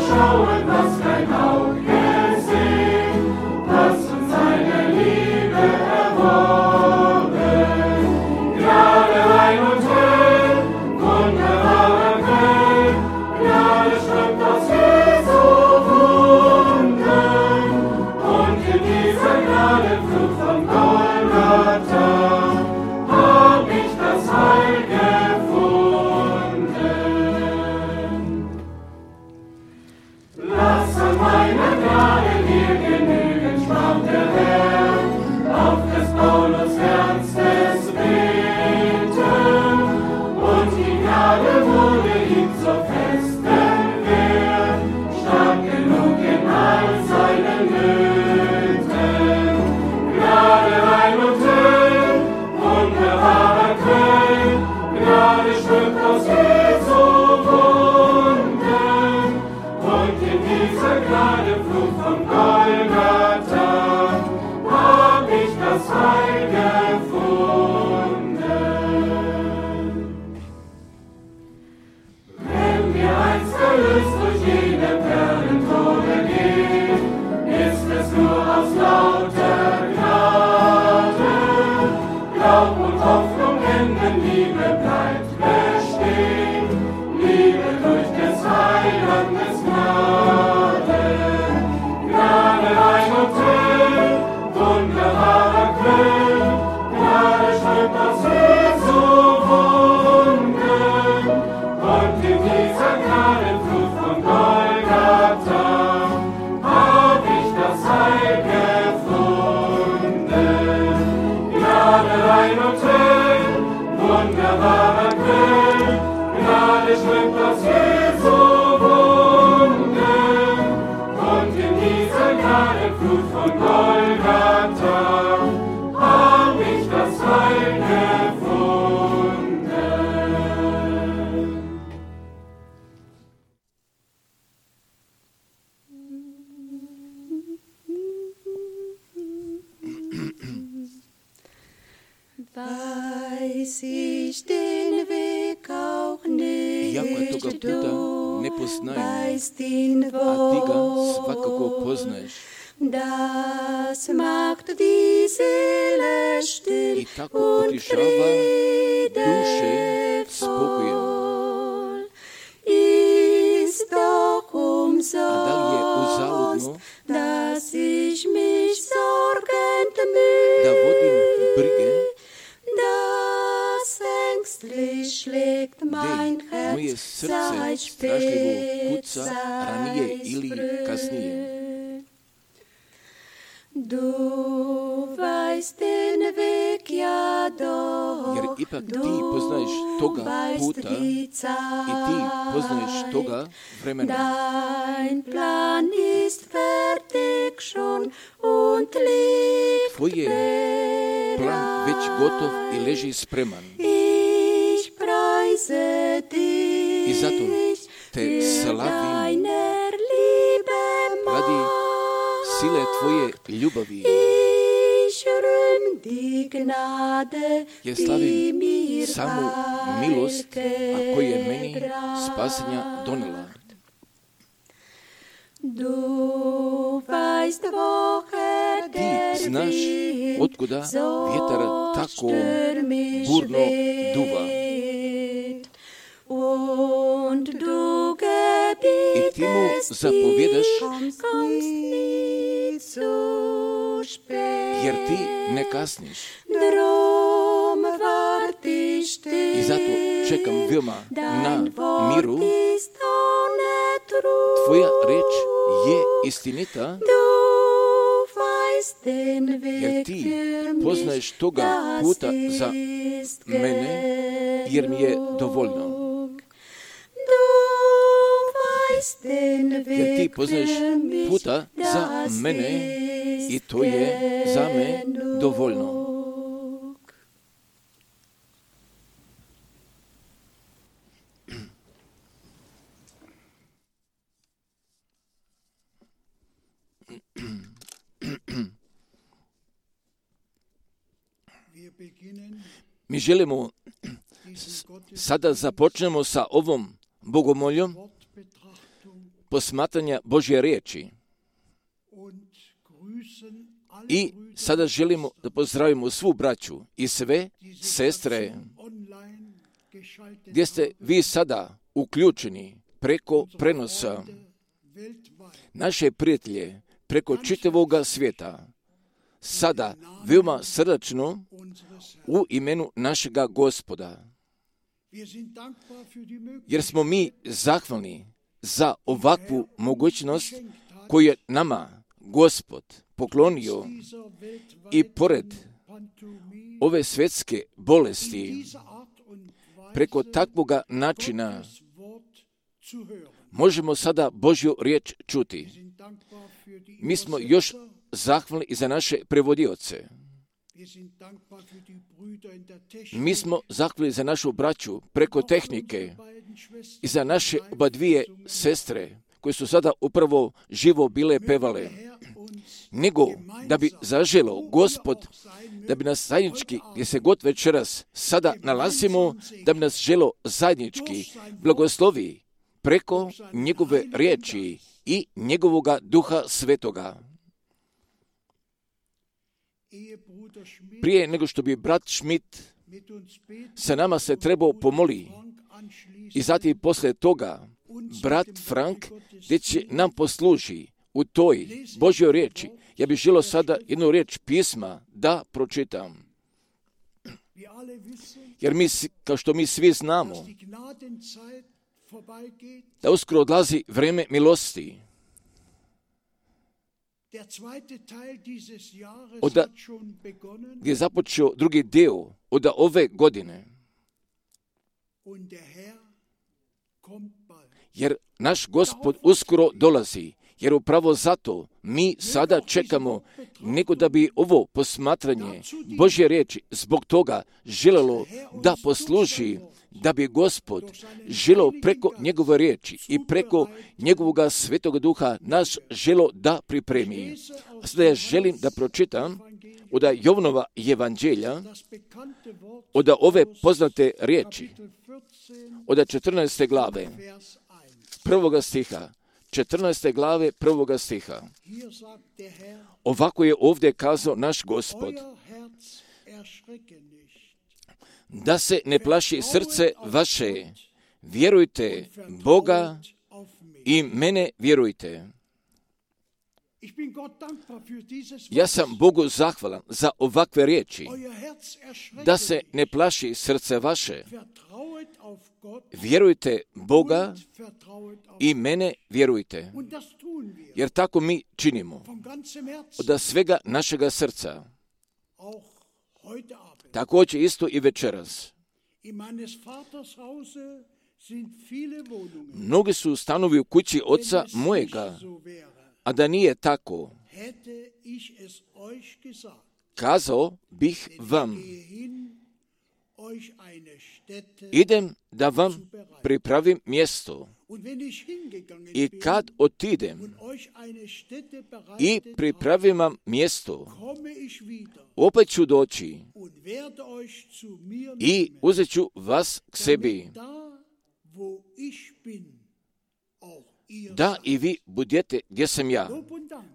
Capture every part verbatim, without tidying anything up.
schauen, was kein Auge sehen, was uns seine Liebe erworben. Gnade rein und hell, wunderbarer Quell, Gnade strömt aus Jesu Wunden, und in dieser Gnadenflut von Golgatha hab ich das Heil gefunden. Lass an meiner Gnade dir genügen, sprach der Herr, auf des Paulus ernstes Beten, und die Gnade wurde ihm zur festen Wehr, stark genug in all seinen Nöten. Gnade rein und hell, wunderbarer Quell, Gnade strömt aus Jesu Wunden, und in dieser Gnadeflut von Golgatha hab ich das Heil gefunden. Wenn wir einst erlöst durch jene Perlentore gehen, ist es nur aus lauter Gnade. Glaub und Hoffnung enden, Liebe bleibt bestehen, Liebe durch des Heilandes Gnade. Gnade rein und hell, wunderbarer Quell, Gnade strömt aus Jesu Wunden, und in dieser Gnadenflut von Golgatha hab ich das Heil gefunden. Gnade rein und hell, wunderbarer Quell, Gnade strömt aus Jesu Wunden, und in dieser Gnadenflut von Golgatha hab ich das Heil gefunden. Weiß ich den Weg auch nicht, Iako toga puta ne poznajem, weißt den a ti ga svakako poznaješ. Das macht die Seele still I tako und utišava duše spokojem. friedevoll. Ist doch A da li je umsonst, uzaludno dass ich mich sorgend da vodim brige, das ängstlich schlägt mein gde moje Herz, srce seit strašljivo spät, kuca ranije ili kasnije. Du weißt den Weg ja doch, Jer ipak ti poznaješ toga puta i ti poznaješ toga vremena. Dein Plan ist fertig schon und liegt Tvoj je plan već gotov i leži spreman. Ich preise dich, I zato te slavim deiner Liebe radi sile tvoje ljubavi. Ich rühm die Gnade, Ja die slavim mir samu milost, a koja je meni gebracht. spasenja donela. Du weißt, woher Ti der znaš Wind otkuda so vjetar tako stürmisch burno duva. weht. Und du I ti mu gebietest zapovjedaš, mir, kommst nie zu spät. jer ti ne kasniš. Drum wart ich still, I zato čekam veoma na dein Wort miru. ist ohne Trug. Tvoja reč je istinita, Du weißt den jer Weg ti für mich, poznaješ toga das puta za ist mene, jer mi je dovoljno. Du weißt den Jer ti Weg poznaješ für mich, puta za das mene ist i to je za me dovoljno. Mi želimo sada započnemo sa ovom bogomoljom posmatranja Božje riječi. I sada želimo da pozdravimo svu braću i sve sestre gdje ste vi sada uključeni preko prenosa, naše prijatelje preko čitavoga svijeta. Sada veoma srdačno u imenu našega Gospoda. Jer smo mi zahvalni za ovakvu mogućnost koju je nama Gospod poklonio i pored ove svjetske bolesti preko takvoga načina možemo sada Božju riječ čuti. Mi smo još zahvalni i za naše prevodioce. Mi smo zahvalni za našu braću preko tehnike i za naše oba dvije sestre koje su sada upravo živo bile pevale. Nego da bi zaželo Gospod, da bi nas zajednički, gdje se god večeras sada nalazimo, da bi nas želo zajednički blagoslovi preko njegove riječi i njegovoga Duha Svetoga. Prije nego što bi brat Schmidt sa nama se trebao pomoli i zatim poslije toga brat Frank gdje će nam posluži u toj Božjoj riječi. Ja bih želio sada jednu riječ pisma da pročitam. Jer mi, kao što mi svi znamo, da uskoro odlazi vrijeme milosti. Oda, gdje je započeo drugi dio od ove godine. Jer naš Gospod uskoro dolazi. Jer upravo zato mi sada čekamo nego da bi ovo posmatranje Božje riječi zbog toga želelo da posluži, da bi Gospod želeo preko njegove riječi i preko njegovoga Svetoga Duha nas želo da pripremi. A sada ja želim da pročitam od Jovanova evanđelja, od ove poznate riječi, od četrnaeste glave, prvoga stiha. četrnaeste glave prvoga stiha. Ovako je ovdje kazao naš Gospod. Da se ne plaši srce vaše, vjerujte Boga i mene vjerujte. Ja sam Bogu zahvalan za ovakve riječi. Da se ne plaši srce vaše, vjerujte Boga i mene vjerujte. Jer tako mi činimo. Od svega našega srca. Također isto i večeras. Mnogi su stanovi u kući oca mojega, a da nije tako, kazao bih vam, idem da vam pripravim mjesto. I kad otidem i pripravim vam mjesto, opet ću doći i uzet ću vas k sebi, da i vi budete gdje sam ja,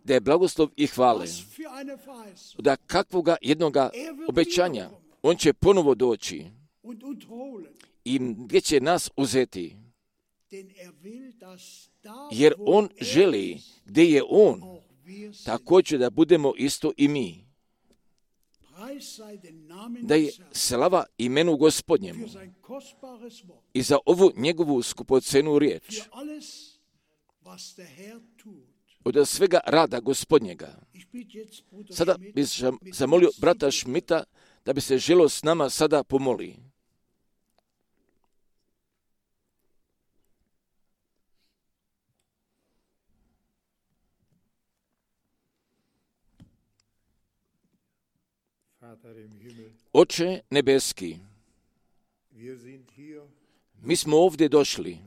da je blagoslov i hvale. Da kakvoga jednoga obećanja on će ponovo doći i gdje će nas uzeti. Jer on želi gdje je on, također da budemo isto i mi. Da je slava imenu Gospodnjemu i za ovu njegovu skupocenu riječ. Od svega rada Gospodnjega. Sada bih zamolio brata Schmidta da bi se želio s nama sada pomoli. Oče nebeski, mi smo ovdje došli.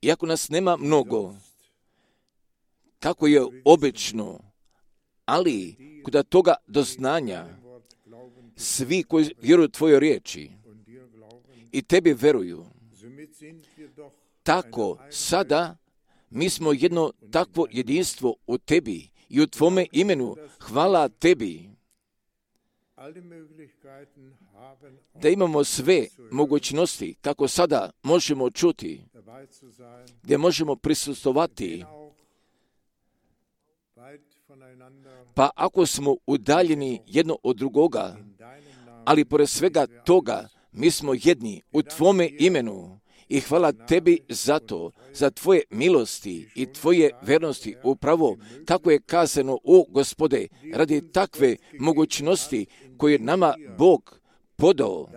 Iako nas nema mnogo, kako je obično, ali kod toga doznanja, svi koji vjeruju tvojoj riječi i tebi veruju, tako sada mi smo jedno takvo jedinstvo u tebi i u tvome imenu. Hvala tebi da imamo sve mogućnosti kako sada možemo čuti, gdje možemo prisustvovati. Pa ako smo udaljeni jedno od drugoga, ali pored svega toga mi smo jedni u tvome imenu i hvala tebi za to, za tvoje milosti i tvoje vernosti. Upravo tako je kazano, o Gospode, radi takve mogućnosti koje nama Bog podao,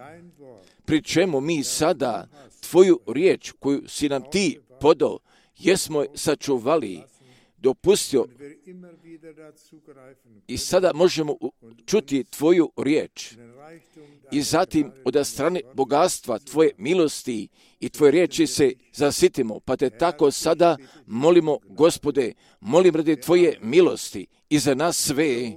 pri čemu mi sada tvoju riječ koju si nam ti podao, jesmo sačuvali, dopustio i sada možemo čuti tvoju riječ. I zatim od strane bogatstva tvoje milosti i tvoje riječi se zasitimo, pa te tako sada molimo, Gospode, molim radi tvoje milosti i za nas sve.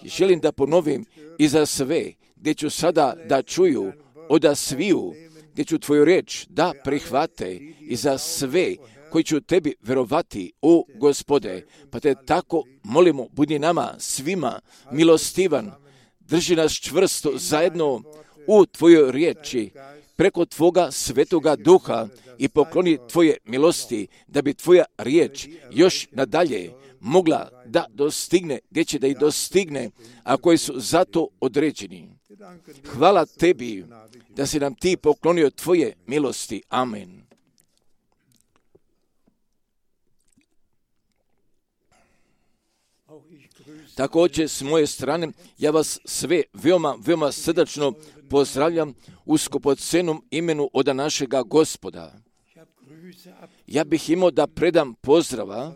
Želim da ponovim i za sve, gdje ću sada da čuju od sviju, gdje ću tvoju riječ da prihvate i za sve koji ću tebi verovati, o Gospode, pa te tako molimo, budi nama svima milostivan, drži nas čvrsto zajedno u tvojoj riječi, preko tvoga svetoga duha i pokloni tvoje milosti, da bi tvoja riječ još nadalje mogla da dostigne, gdje će da ih dostigne, a koji su zato određeni. Hvala tebi da si nam ti poklonio tvoje milosti. Amen. Također s moje strane ja vas sve veoma, veoma srdačno pozdravljam u skupocenom imenu od našega Gospoda. Ja bih imao da predam pozdrava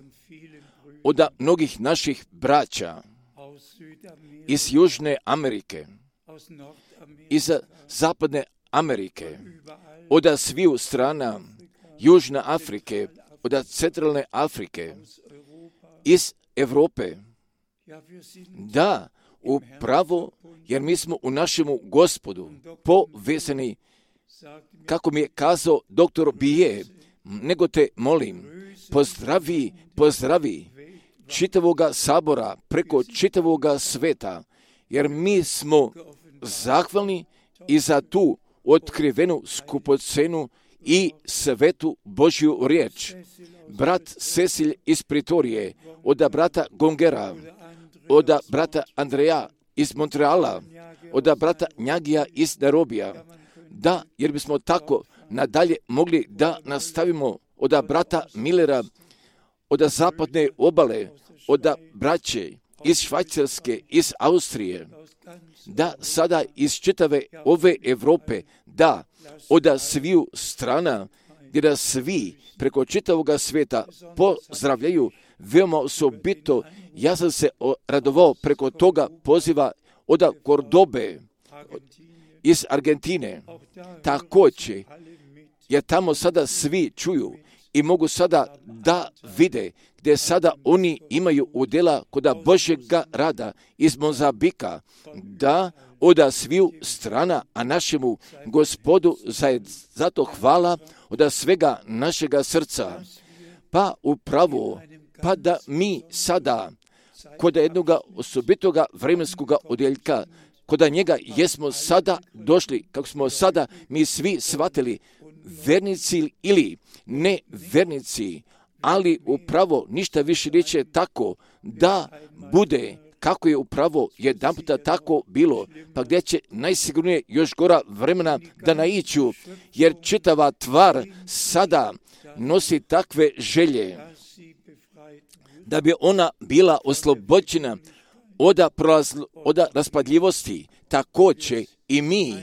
od mnogih naših braća iz Južne Amerike, iz Zapadne Amerike, od sviju strana Južne Afrike, od Centralne Afrike, iz Europe. Da, upravo, jer mi smo u našemu Gospodu povezani, kako mi je kazao doktor Bije, nego te molim, pozdravi, pozdravi čitavoga sabora preko čitavoga sveta, jer mi smo zahvalni i za tu otkrivenu skupocenu i svetu Božju riječ. Brat Cecil iz Pritorije, od brata Gongera, od brata Andreja iz Montreala, od brata Njagija iz Nairobija. Da, jer bismo tako nadalje mogli da nastavimo od brata Millera, od zapadne obale, od braće iz Švajcarske, iz Austrije, da sada iz čitave ove Europe, da od sviju strana, gdje da svi preko čitavoga svijeta pozdravljaju veoma osobito. Ja sam se radovao preko toga poziva od Kordobe, iz Argentine. Također, jer tamo sada svi čuju i mogu sada da vide gdje sada oni imaju udjela kod Božjega rada iz Mozambika, da od sviju strana, a našemu Gospodu zato hvala od svega našega srca. Pa upravo, pa da mi sada kod jednog osobitoga vremenskog odjeljka, kod njega jesmo sada došli, kako smo sada mi svi shvatili, vernici ili ne vernici, ali upravo ništa više neće tako da bude kako je upravo jedan puta tako bilo, pa gdje će najsigurnije još gora vremena da naiću, jer čitava tvar sada nosi takve želje da bi ona bila oslobođena od, prolazl, od raspadljivosti. Također i mi,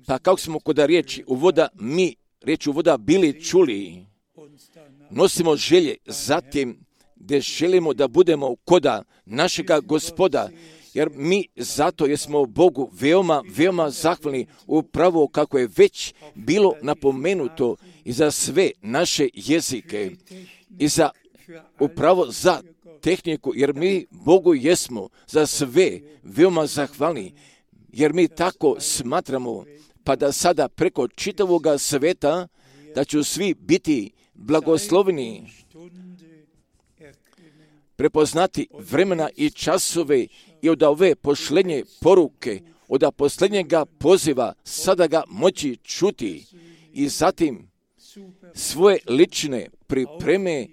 pa kako smo kod riječi uvoda, mi riječ uvoda bili čuli, nosimo želje zatim gdje želimo da budemo koda našega Gospoda, jer mi zato jesmo Bogu veoma, veoma zahvalni, upravo kako je već bilo napomenuto i za sve naše jezike i za upravo za tehniku, jer mi Bogu jesmo za sve veoma zahvalni, jer mi tako smatramo, pa da sada preko čitavoga sveta da ću svi biti blagosloveni prepoznati vremena i časove i od ove posljednje poruke, od posljednjega poziva sada ga moći čuti i zatim svoje lične pripreme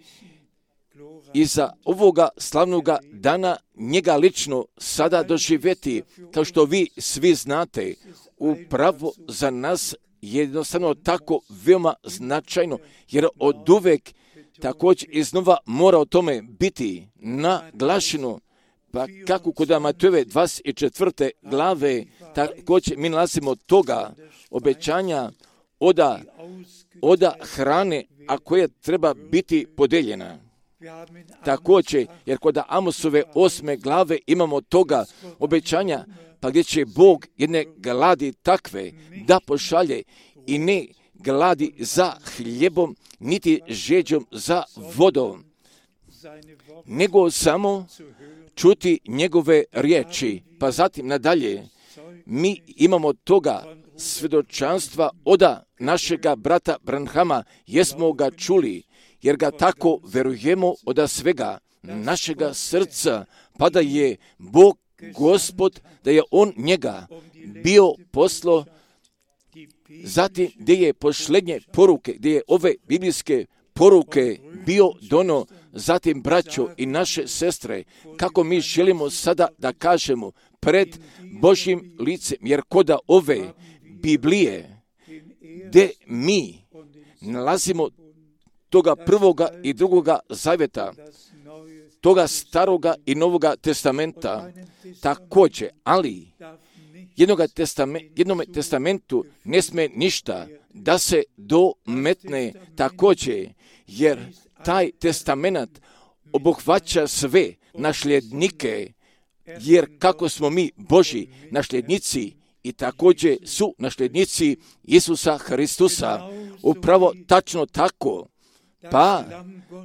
i za ovoga slavnoga dana njega lično sada doživjeti, kao što vi svi znate, upravo za nas je jednostavno tako veoma značajno, jer od uvek također iznova mora o tome biti naglašeno. Pa kako kod Matejove dvadeset četvrte glave također mi nalazimo toga obećanja oda, oda hrane, a koja treba biti podeljena. Također, jer kod Amosove osme glave imamo toga obećanja, pa gdje će Bog jedne gladi takve da pošalje i ne gladi za hljebom, niti žeđom za vodom, nego samo čuti njegove riječi. Pa zatim nadalje, mi imamo toga svjedočanstva oda našega brata Branhama, jesmo ga čuli, jer ga tako verujemo oda svega našega srca, pa da je Bog Gospod, da je On njega bio poslo, zatim gdje je posljednje poruke, gdje je ove biblijske poruke bio dono, zatim braćo i naše sestre, kako mi želimo sada da kažemo pred Božjim licem, jer koda ove Biblije, gdje mi nalazimo toga prvoga i drugoga zavjeta, toga staroga i novoga testamenta, također, ali jednoga testame, jednome testamentu ne sme ništa da se dometne također, jer taj testament obuhvaća sve nasljednike, jer kako smo mi Božji nasljednici i također su nasljednici Isusa Hristusa, upravo tačno tako. Pa,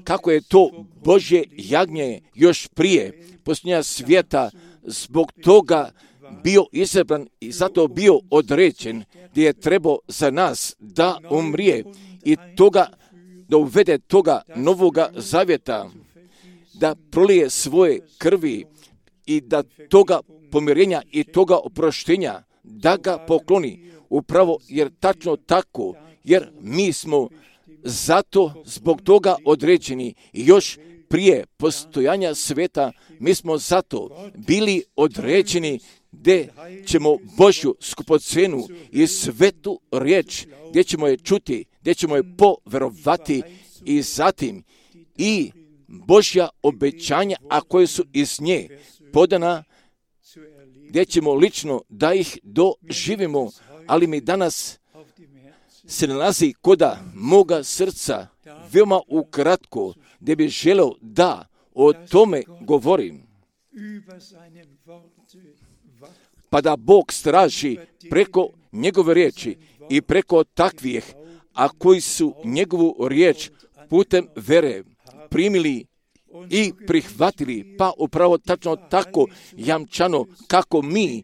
kako je to Božje jagnje još prije posljednja svijeta zbog toga bio izabran i zato bio određen, gdje je trebao za nas da umrije i toga, da uvede toga novoga zavjeta, da prolije svoje krvi i da toga pomirenja i toga oproštenja, da ga pokloni, upravo jer tačno tako, jer mi smo zato zbog toga određeni i još prije postojanja sveta mi smo zato bili određeni gdje ćemo Božju skupocenu i svetu riječ, gdje ćemo je čuti, gdje ćemo je poverovati i zatim i Božja obećanja, a koje su iz nje podana, gdje ćemo lično da ih doživimo, ali mi danas se nalazi koda moga srca veoma ukratko, gdje bi želeo da o tome govorim. Pa da Bog straži preko njegove riječi i preko takvih, a koji su njegovu riječ putem vere primili i prihvatili, pa upravo tačno tako jamčano kako mi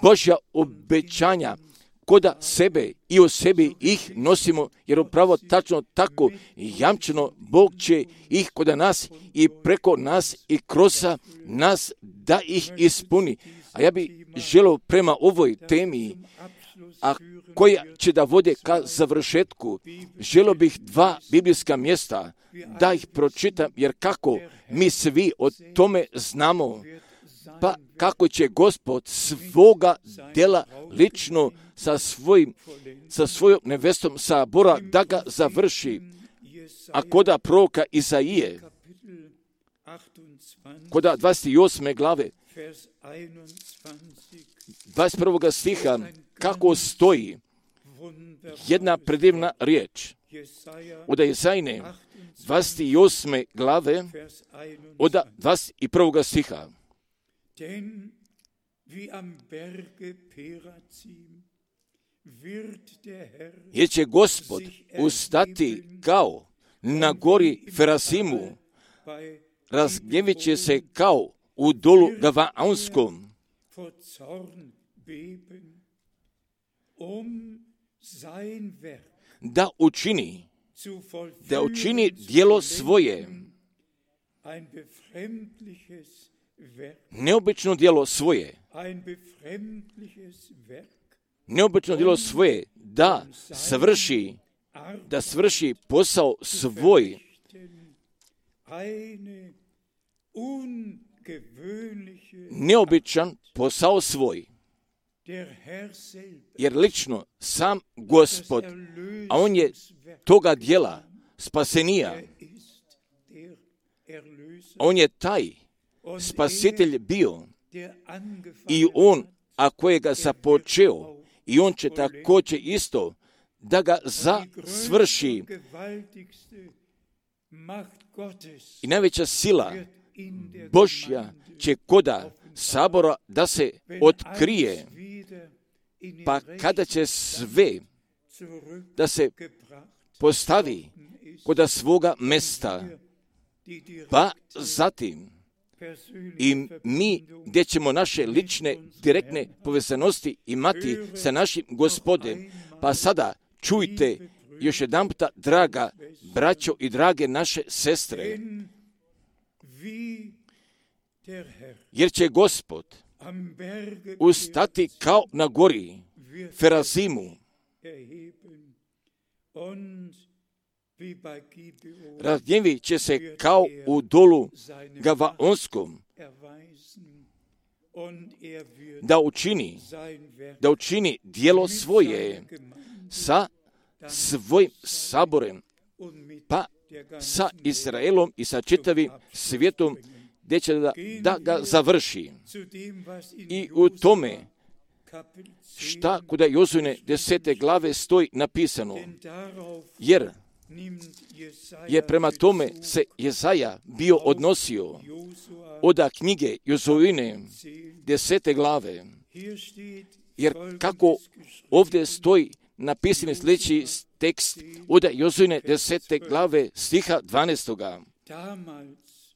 Božja obećanja koda sebe i o sebi ih nosimo, jer upravo tačno tako jamčeno Bog će ih koda nas i preko nas i kroz nas da ih ispuni. A ja bih želio prema ovoj temi, a koja će da vode ka završetku, želio bih dva biblijska mjesta da ih pročitam, jer kako mi svi o tome znamo, pa kako će Gospod svoga dela lično sa, svojim, sa svojom nevestom Sabora da ga završi. A koda proroka Izaije, koda dvadeset osme glave, dvadeset prvog stiha, kako stoji jedna predivna riječ. Od Izajine dvadeset osme glave, od dvadeset prvog stiha. Jer će Gospod ustati kao na gori Ferasimu, razgnjevit će se kao u dolu Gavaonskom, da učini da učini djelo svoje, neobično djelo svoje, neobično djelo svoje, da svrši, da svrši posao svoj, neobičan posao svoj, jer lično sam Gospod, a on je toga djela spasenija, on je taj spasitelj bio i on, a kojega započeo, i on će također isto da ga zasvrši. I najveća sila Božja će koda sabora da se otkrije, pa kada će sve da se postavi koda svoga mesta, pa zatim i mi gdje ćemo naše lične, direktne povezanosti imati sa našim Gospodem. Pa sada čujte još jedan puta, draga braćo i drage naše sestre, jer će Gospod ustati kao na gori Ferazimu, razgnjevit će se kao u dolu Gavaonskom, da učini, da učini djelo svoje sa svojim saborem, pa sa Izraelom i sa čitavim svijetom, gdje će da, da ga završi. I u tome šta kuda Jozujne desete glave stoji napisano, jer je prema tome se Jezaja bio odnosio od knjige Jozujne desete glave, jer kako ovdje stoji napisani sljedeći tekst od Jozujne desete glave stiha dvanaestoga.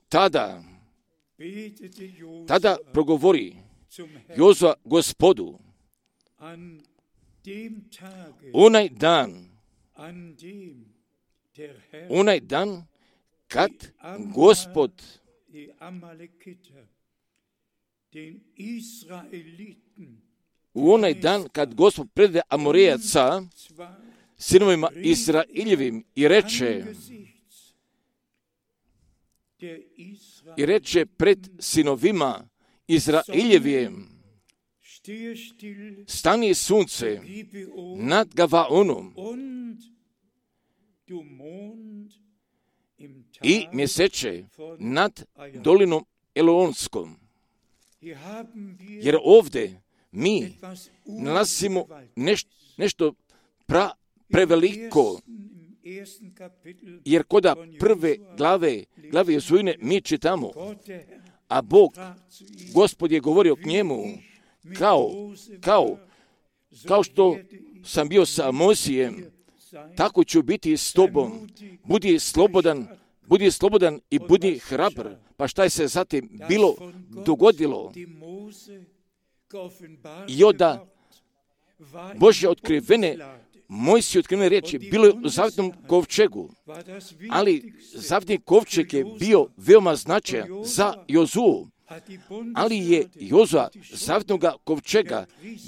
Tada, tada progovori Jozua Gospodu, onaj dan, onaj dan kad Gospod u onaj dan kad Gospod prede Amorejaca sinovima Izraeljevim i reče i reče pred sinovima Izraeljevim, stani sunce nad Gavaonom i mjeseče nad dolinom Elonskom. Jer ovdje mi nalazimo neš, nešto pra, preveliko, jer koda prve glave, glave Jozujne mi čitamo, a Bog, Gospod je govorio k njemu, kao, kao, kao što sam bio sa Mojsijem, tako ću biti s tobom. Budi slobodan, budi slobodan i budi hrabar. Pa šta je se zatim bilo dogodilo? I onda Božje otkrivene, Mojsije otkrivene riječi bilo je u zavetnom kovčegu, ali zavetni kovčeg je bio veoma značajan za Jozuu, ali je Jozua zavetnog kovčega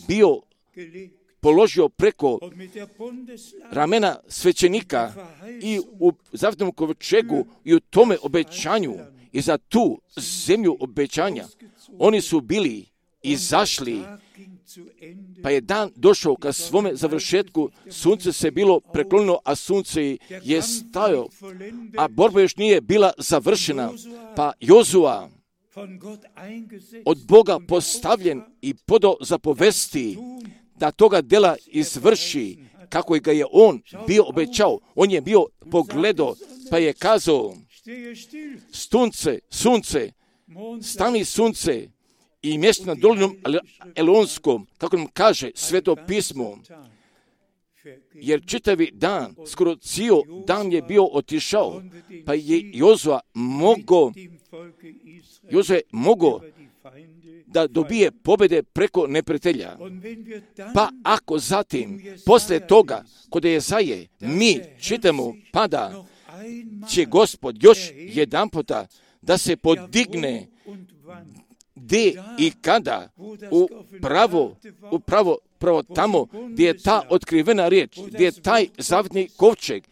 bio položio preko ramena svećenika i u zavetnom kovčegu i u tome obećanju i za tu zemlju obećanja oni su bili izašli, pa je dan došao ka svome završetku, sunce se bilo preklonilo, a sunce je stajao, a borba još nije bila završena, pa Jozua od Boga postavljen i podao zapovesti da toga dela izvrši kako ga je on bio obećao. On je bio pogledao, pa je kazao, sunce, sunce, stani sunce i mjesto nad dolinom Elonskom, kako nam kaže Sveto pismo, jer čitavi dan, skoro cijel dan je bio otišao, pa je Jozua mogao, Jozue mogao da dobije pobjede preko neprijatelja. Pa ako zatim, poslije toga, kod Jesaje, mi čitamo, pa da će Gospod još jedan puta da se podigne gdje i kada upravo, upravo pravo tamo gdje je ta otkrivena riječ, gdje je taj zavetni kovčeg,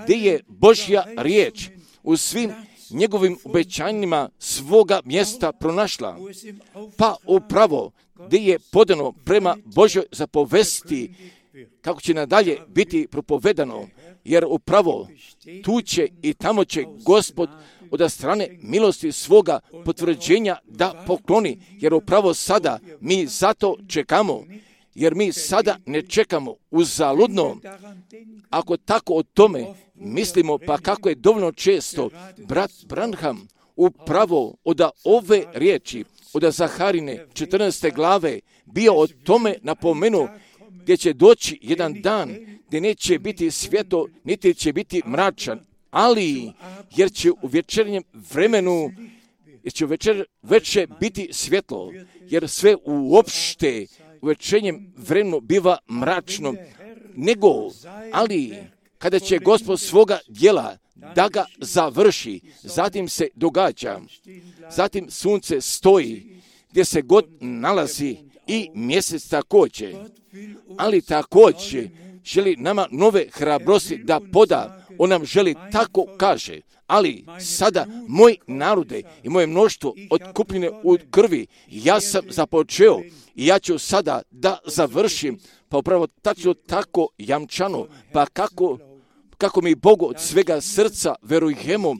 gdje je Božja riječ u svim njegovim obećanjima svoga mjesta pronašla. Pa upravo gdje je podano prema Božjoj zapovesti kako će nadalje biti propovedano, jer upravo tu će i tamo će Gospod od strane milosti svoga potvrđenja da pokloni, jer upravo sada mi zato čekamo, jer mi sada ne čekamo uzaludno. Ako tako o tome mislimo, pa kako je dovoljno često brat Branham upravo od ove riječi, od Zaharine četrnaeste glave, bio o tome napomenuo, gdje će doći jedan dan gdje neće biti svjetlo, niti će biti mračan, ali jer će u večernjem vremenu, jer će u večer, večer biti svjetlo, jer sve uopšte u večernjem vremenu biva mračno, nego, ali kada će Gospod svoga djela da ga završi, zatim se događa, zatim sunce stoji gdje se god nalazi i mjesec također, ali također želi nama nove hrabrosti da poda. On nam želi tako kaže, ali sada moj narode i moje mnoštvo otkupljene u krvi, ja sam započeo i ja ću sada da završim, pa upravo tačno tako jamčano, pa kako, kako mi Bogu od svega srca verujemo,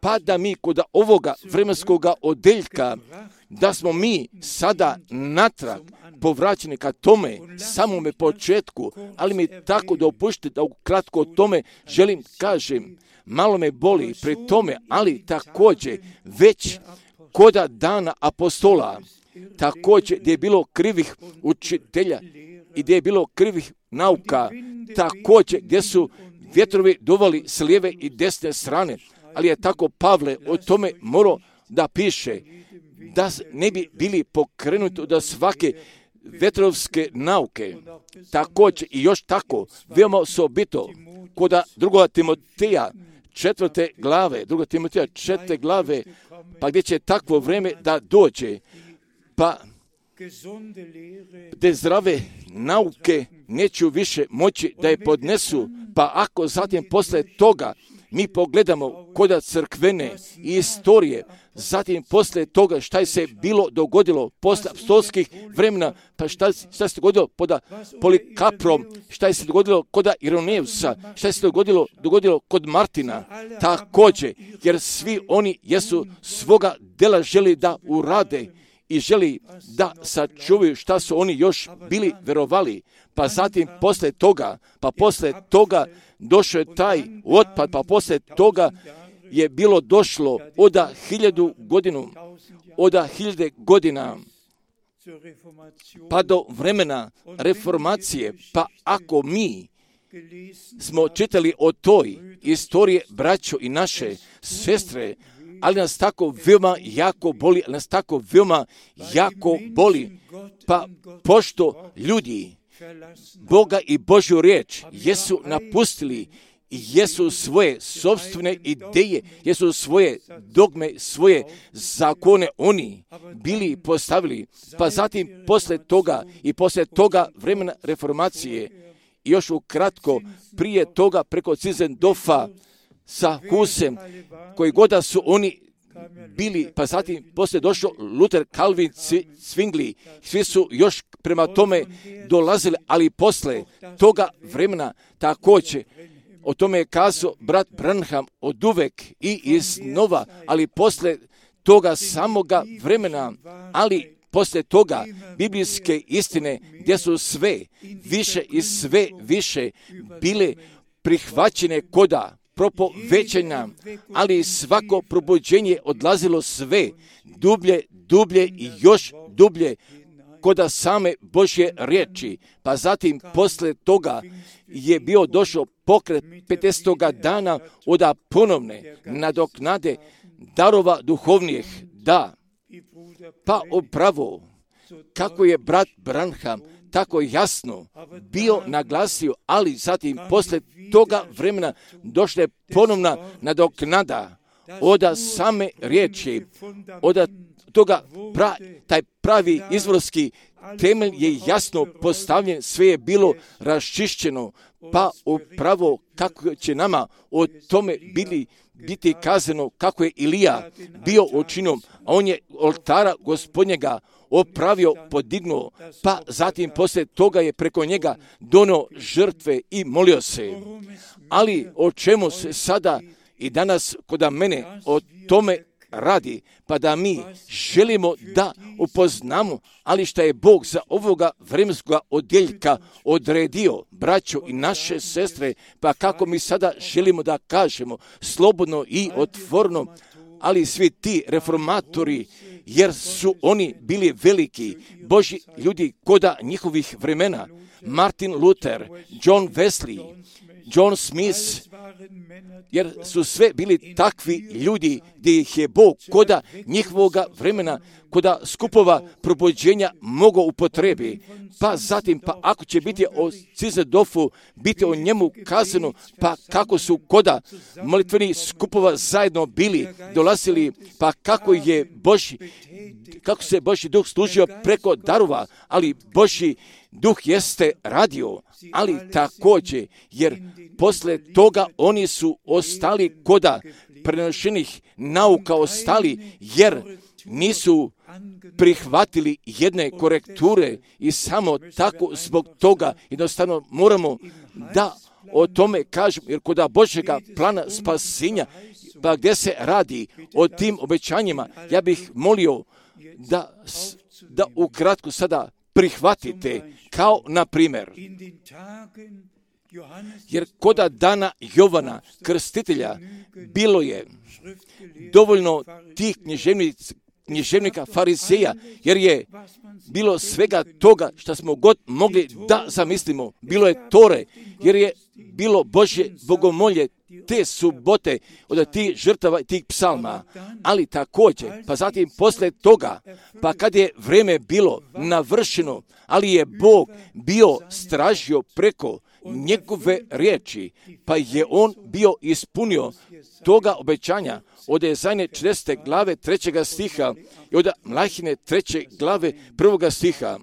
pa da mi kod ovoga vremenskoga odeljka, da smo mi sada natrag povraćeni ka tome samome početku, ali mi tako dopušte da ukratko o tome želim kažem, malo me boli pri tome, ali također već koda dana apostola, također gdje je bilo krivih učitelja i gdje je bilo krivih nauka, također gdje su vjetrovi duvali s lijeve i desne strane, ali je tako Pavle o tome morao da piše, da ne bi bili pokrenuti od svake vetrovske nauke. Također i još tako, veoma osobito, kod drugoga Timoteja četvrte glave, druga Timoteja četvrte glave, pa gdje će takvo vrijeme da dođe, pa te zdrave nauke neću više moći da je podnesu, pa ako zatim posle toga mi pogledamo kod crkvene istorije, zatim posle toga šta je se bilo dogodilo posle apostolskih vremena, pa šta, šta se dogodilo pod Polikaprom, šta je se dogodilo kod Ironeusa, šta je se dogodilo, dogodilo kod Martina, također, jer svi oni jesu svoga dela želi da urade i želi da sačuvaju šta su oni još bili verovali, pa zatim posle toga, pa posle toga došao je taj otpad, pa posle toga je bilo došlo od hiljadu godinu, od hiljade godina, pa do vremena reformacije, pa ako mi smo čitali o toj istoriji, braćo i naše sestre, ali nas tako veoma jako boli, ali nas tako veoma jako boli, pa pošto ljudi Boga i Božju riječ jesu napustili i jesu svoje sopstvene ideje, jesu svoje dogme, svoje zakone oni bili postavili, pa zatim posle toga i posle toga vremena reformacije, još ukratko prije toga preko Cizendofa sa Husem, koji goda su oni bili, pa zatim poslije došao Luther, Calvin, Zwingli, svi su još prema tome dolazili, ali posle toga vremena također, o tome je kazao brat Branham od uvek i iznova, ali posle toga samoga vremena, ali posle toga biblijske istine gdje su sve više i sve više bile prihvaćene koda propovećenja, ali svako probuđenje odlazilo sve dublje, dublje i još dublje koda same Božje riječi. Pa zatim posle toga je bio došao pokret petdesetog dana od ponovne nadoknade darova duhovnih, da Pa upravo, kako je brat Branham tako jasno bio naglasio, ali zatim posle toga vremena došla je ponovna nadoknada od same riječi, od toga pra, taj pravi izvorski temelj je jasno postavljen, sve je bilo raščišćeno, pa upravo kako će nama o tome bili, biti kazano kako je Ilija bio učinom, a on je oltara Gospodnjega opravio, podignuo, pa zatim poslije toga je preko njega donio žrtve i molio se. Ali o čemu se sada i danas kod mene o tome radi, pa da mi želimo da upoznamo, ali šta je Bog za ovoga vremenskoga odjeljka odredio, braćo i naše sestre, pa kako mi sada želimo da kažemo slobodno i otvorno, ali svi ti reformatori, jer su oni bili veliki Božji ljudi koda njihovih vremena, Martin Luther, John Wesley, John Smith, jer su sve bili takvi ljudi gdje ih je Bog koda njihovoga vremena, koda skupova probuđenja mogao upotrebi. Pa zatim, pa ako će biti o Cizedofu, biti o njemu kazano, pa kako su koda molitveni skupova zajedno bili, dolazili, pa kako je Božji, kako se Božji duh služio preko darova, ali Božji duh jeste radio, ali također, jer posle toga oni su ostali koda prenošenih nauka ostali, jer nisu prihvatili jedne korekture i samo tako zbog toga jednostavno moramo da o tome kažemo, jer koda Božjega plana spasenja, pa gdje se radi o tim obećanjima, ja bih molio da, da ukratko sada prihvatite, kao na primjer, jer koda dana Jovana Krstitelja bilo je dovoljno tih književnika, književnika fariseja, jer je bilo svega toga što smo god mogli da zamislimo. Bilo je Tore, jer je bilo Božje bogomolje te subote od tih žrtava i tih psalma. Ali također, pa zatim posle toga, pa kad je vreme bilo navršeno, ali je Bog bio stražio preko njegove riječi, pa je on bio ispunio toga obećanja od Jezajne četrdesete glave trećega stiha i od Mlahine treće glave prvoga stiha.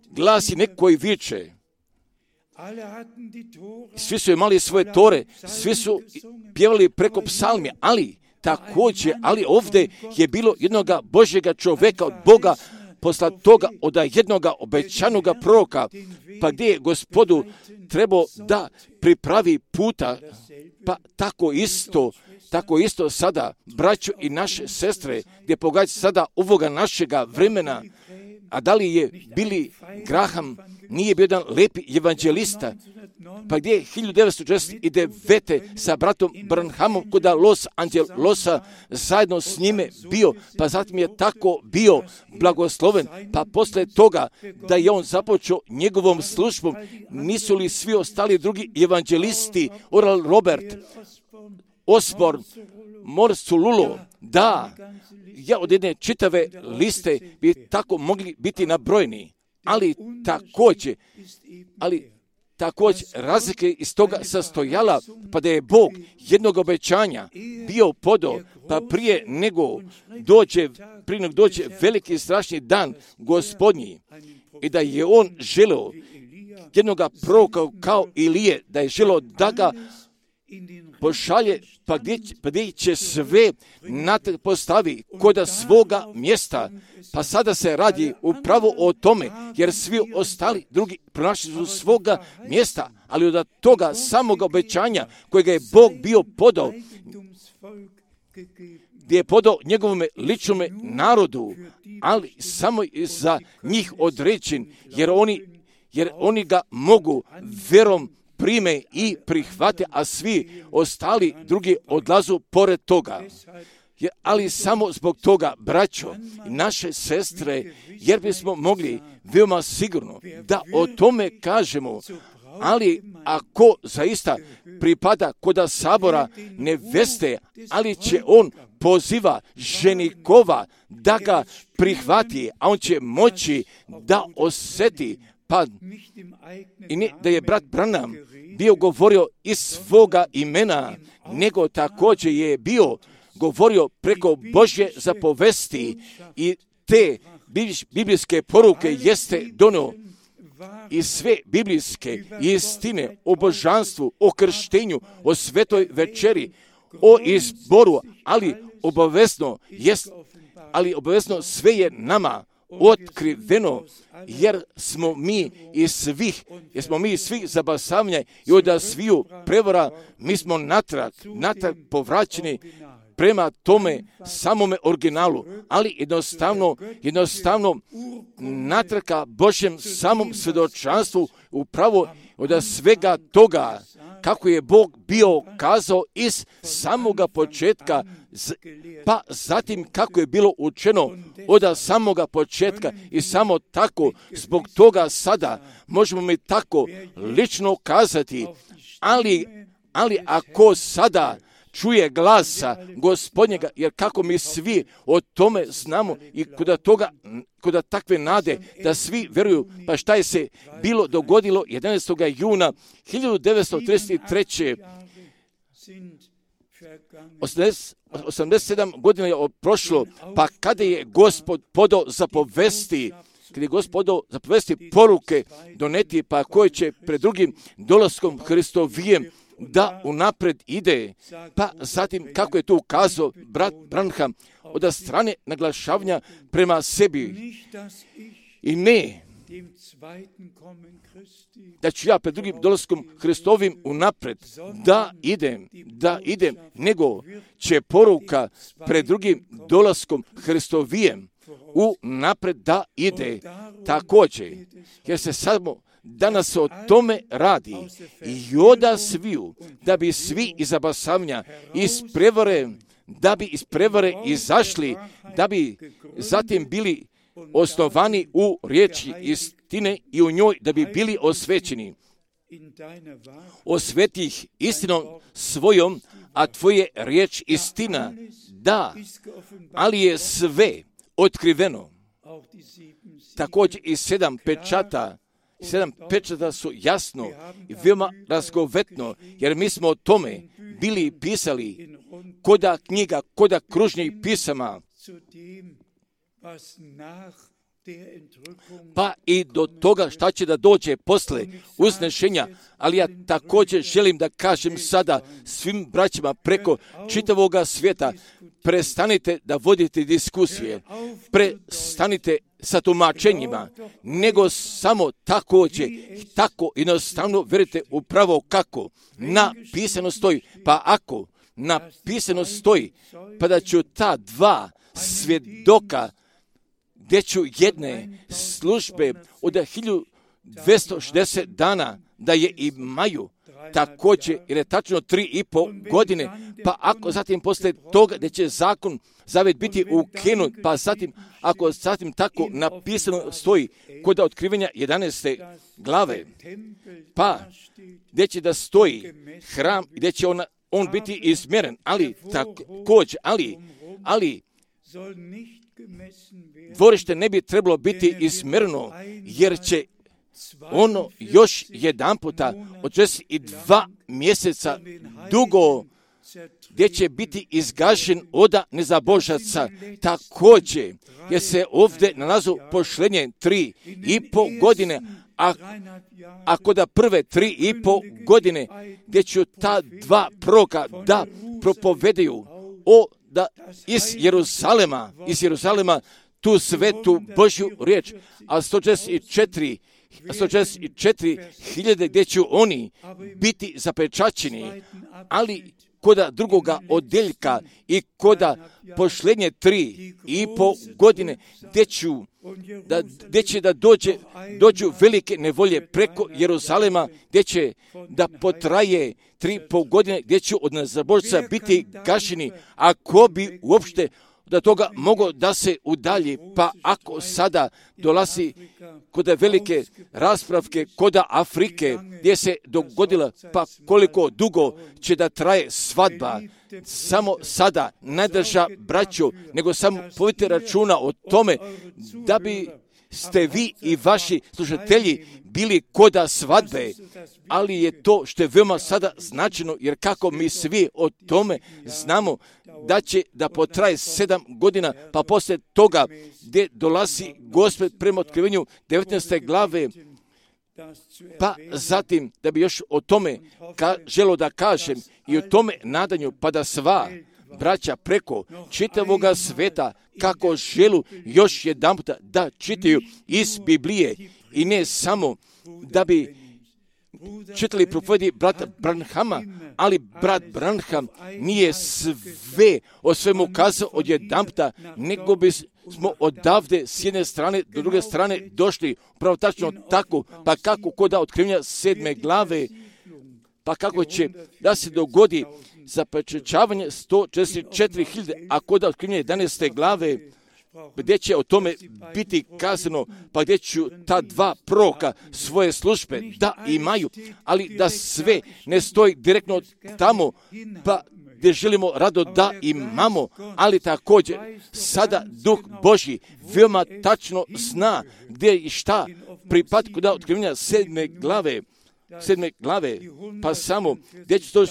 Glasi neko koji viče, svi su imali svoje tore, svi su pjevali preko psalmi, ali također, ali ovdje je bilo jednoga Božjega čovjeka od Boga, posla toga od jednoga obećanoga proroka, pa gdje je Gospodu trebao da pripravi puta, pa tako isto, tako isto sada, braćo i naše sestre, gdje pogađa sada ovoga našega vremena, a da li je Billy Graham nije bio jedan lepi evanđelista, pa gdje je hiljadu devetsto četrdeset devete sa bratom Branhamom kod Los Angelosa zajedno s njime bio, pa zatim je tako bio blagosloven, pa posle toga da je on započeo njegovom službom, nisu li svi ostali drugi evanđelisti, Oral Robert, Osborne, Morse Lulo, da, ja od jedne čitave liste bi tako mogli biti nabrojeni, ali također, ali također razlike iz toga sastojala, pa da je Bog jednog obećanja bio podao, pa prije nego dođe, prije nego dođe veliki strašni dan Gospodnji, i da je on želeo jednoga proroka kao Ilije, da je želeo da ga pošalje, pa gdje, pa gdje će sve postavi koda svoga mjesta. Pa sada se radi upravo o tome, jer svi ostali drugi pronašli su svoga mjesta, ali od toga samog obećanja kojega je Bog bio podao, gdje je podao njegovome ličnome narodu, ali samo za njih određen, jer oni, jer oni ga mogu verom prime i prihvate, a svi ostali drugi odlazu pored toga. Je, ali samo zbog toga, braćo i naše sestre, jer bismo mogli veoma sigurno da o tome kažemo, ali ako zaista pripada koda sabora neveste, ali će on poziva ženikova da ga prihvati, a on će moći da osjeti, pa i ne da je brat Branham bio govorio iz svoga imena, nego također je bio govorio preko Božje zapovesti i te biblijske poruke jeste donio i sve biblijske istine o božanstvu, o krštenju, o svetoj večeri, o izboru, ali obavezno jest, ali obavezno sve je nama otkriveno, jer smo mi iz svih, jer smo mi iz svih zabasavanja i od sviju prevara, mi smo natrag, natrag povraćeni prema tome samome originalu, ali jednostavno, jednostavno natraka Božjem samom svjedočanstvu upravo od svega toga kako je Bog bio kazao iz samoga početka, pa zatim kako je bilo učeno od samoga početka i samo tako, zbog toga sada možemo mi tako lično kazati, ali, ali ako sada čuje glasa Gospodnjega, jer kako mi svi o tome znamo i kod toga, kod takve nade da svi vjeruju, pa šta je se bilo dogodilo jedanaestog juna hiljadu devetsto trideset treće. osamdeset sedam godina je prošlo, pa kada je Gospod podao zapovesti, kada je Gospod podao zapovesti poruke doneti, pa koje će pred drugim dolaskom Hristovijem da unapred ide, pa zatim kako je to ukazao brat Branham od strane naglašavanja prema sebi. I ne da ću ja pred drugim dolaskom Hristovim unapred da idem, da idem, nego će poruka pred drugim dolaskom Hristovijem unapred da ide također, jer se samo danas o tome radi i oda sviju, da bi svi iz zabasavanja, iz prevare, da bi iz prevare izašli, da bi zatim bili osnovani u riječi istine i u njoj da bi bili osvećeni. Osveti ih istinom svojom, a tvoje riječ istina, da, ali je sve otkriveno. Također i sedam pečata, sedam pečata su jasno i veoma razgovetno, jer mi smo o tome bili pisali koda knjiga, koda kružnih pisama, pa i do toga šta će da dođe posle uznešenja, ali ja također želim da kažem sada svim braćima preko čitavoga svijeta, prestanite da vodite diskusije, prestanite sa tumačenjima, nego samo također, tako jednostavno verite upravo kako napisano stoji, pa ako napisano stoji, pa da ću ta dva svjedoka gdje ću jedne službe od hiljadu dvjesto šezdeset dana da je imaju također, jer je tačno tri i po godine, pa ako zatim poslije toga da će zakon zavet biti ukinut, pa zatim ako zatim tako napisano stoji kod otkrivenja jedanaeste glave, pa gdje će da stoji hram, gdje će on, on biti izmjeren, ali također, ali, ali dvorište ne bi trebalo biti izmjereno, jer će ono još jedan puta od šezdeset dva mjeseca dugo gdje će biti izgašen oda nezabožaca. Također, jer se ovdje nalazu pošlenje tri i po godine, a, a kod prve tri i po godine gdje će ta dva proroka da propovedaju o da iz Jeruzalema, iz Jeruzalema tu svetu Božju riječ, a sto šezdeset četiri hiljade gdje će oni biti zapečaćeni, ali koda drugoga odjeljka i koda pošlenje tri i po godine gdje ću da, gdje će da dođe, dođu velike nevolje preko Jeruzalema, gdje će da potraje tri po godine, gdje će od nezabožca biti gašeni, a ko bi uopšte da toga mogo da se udalji, pa ako sada dolazi kod velike raspravke kod Afrike, gdje se dogodila, pa koliko dugo će da traje svadba, samo sada ne drža braću, nego samo povedite računa o tome da bi ste vi i vaši slušatelji bili koda svadbe, ali je to što je veoma sada značajno, jer kako mi svi o tome znamo da će da potraje sedam godina, pa poslije toga gdje dolazi Gospod prema otkrivenju devetnaeste glave, pa zatim da bi još o tome ka, želo da kažem i o tome nadanju, pa da sva braća preko čitavoga sveta kako želu još jedan puta da čitaju iz Biblije i ne samo da bi čitali propovedi brata Branhama, ali brat Branham nije sve o svemu kazao od jedan puta, nego bi smo odavde s jedne strane do druge strane došli upravo tačno tako, pa kako kod otkrivenja sedme glave, pa kako će da se dogodi zapečaćavanje sto četrdeset četiri hiljade, a kod otkrivenja jedanaeste glave, gdje će o tome biti kazano, pa gdje ću ta dva proroka svoje službe da imaju, ali da sve ne stoji direktno tamo, pa gdje želimo rado da imamo, ali također sada Duh Božji veoma tačno zna gdje i šta pripada kod otkrivenja sedme glave, sedme glave, pa samo gdje će sto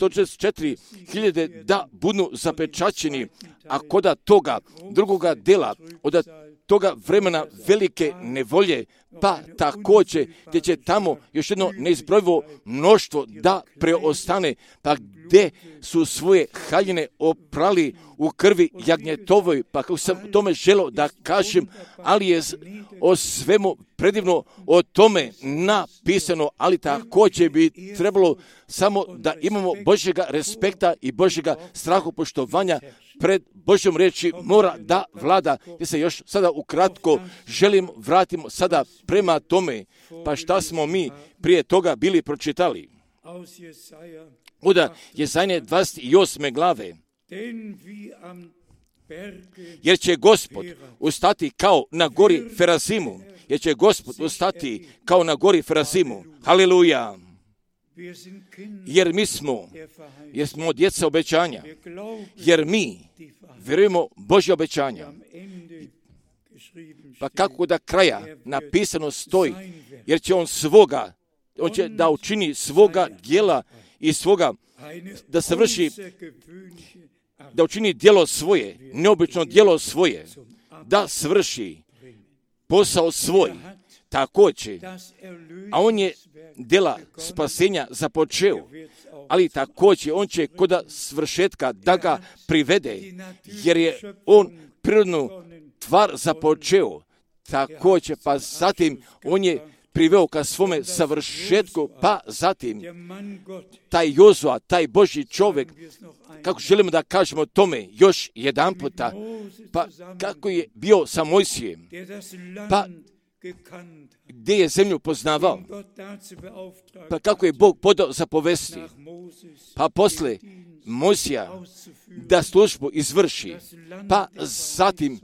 četrdeset četiri hiljade da budu zapečaćeni, a koda toga drugoga dela, od toga vremena velike nevolje, pa također gdje će tamo još jedno neizbrojivo mnoštvo da preostane, pa gdje su svoje haljine oprali u krvi jagnjetovoj, pa kako sam tome želio da kažem, ali je o svemu predivno o tome napisano, ali također bi trebalo samo da imamo Božjega respekta i Božjega strahopoštovanja pred Božjom riječi mora da vlada. Ja se još sada ukratko želim vratimo sada prema tome, pa šta smo mi prije toga bili pročitali. Od Jezajne dvadeset osme glave. Jer će Gospod ustati kao na gori Ferazimu. Jer će Gospod ustati kao na gori Ferazimu. Haleluja. Jer mi smo, jer smo djeca obećanja, jer mi vjerujemo Božje obećanja. Pa kako da kraja napisano stoji, jer će on svoga, on će da učini svoga djela i svoga, da se vrši, da učini djelo svoje, neobično djelo svoje, da svrši posao svoj, također, a on je djela spasenja započeo, ali također on će kod svršetka da ga privede, jer je on prirodnu tvar započeo, također, pa zatim on je priveo ka svome savršetku, pa zatim taj Jozua, taj Božji čovjek, kako želimo da kažemo tome još jedan puta, pa kako je bio sa Mojsijem, pa gdje je zemlju poznavao, pa kako je Bog podao zapovesti, pa posle Mojsija da službu izvrši, pa zatim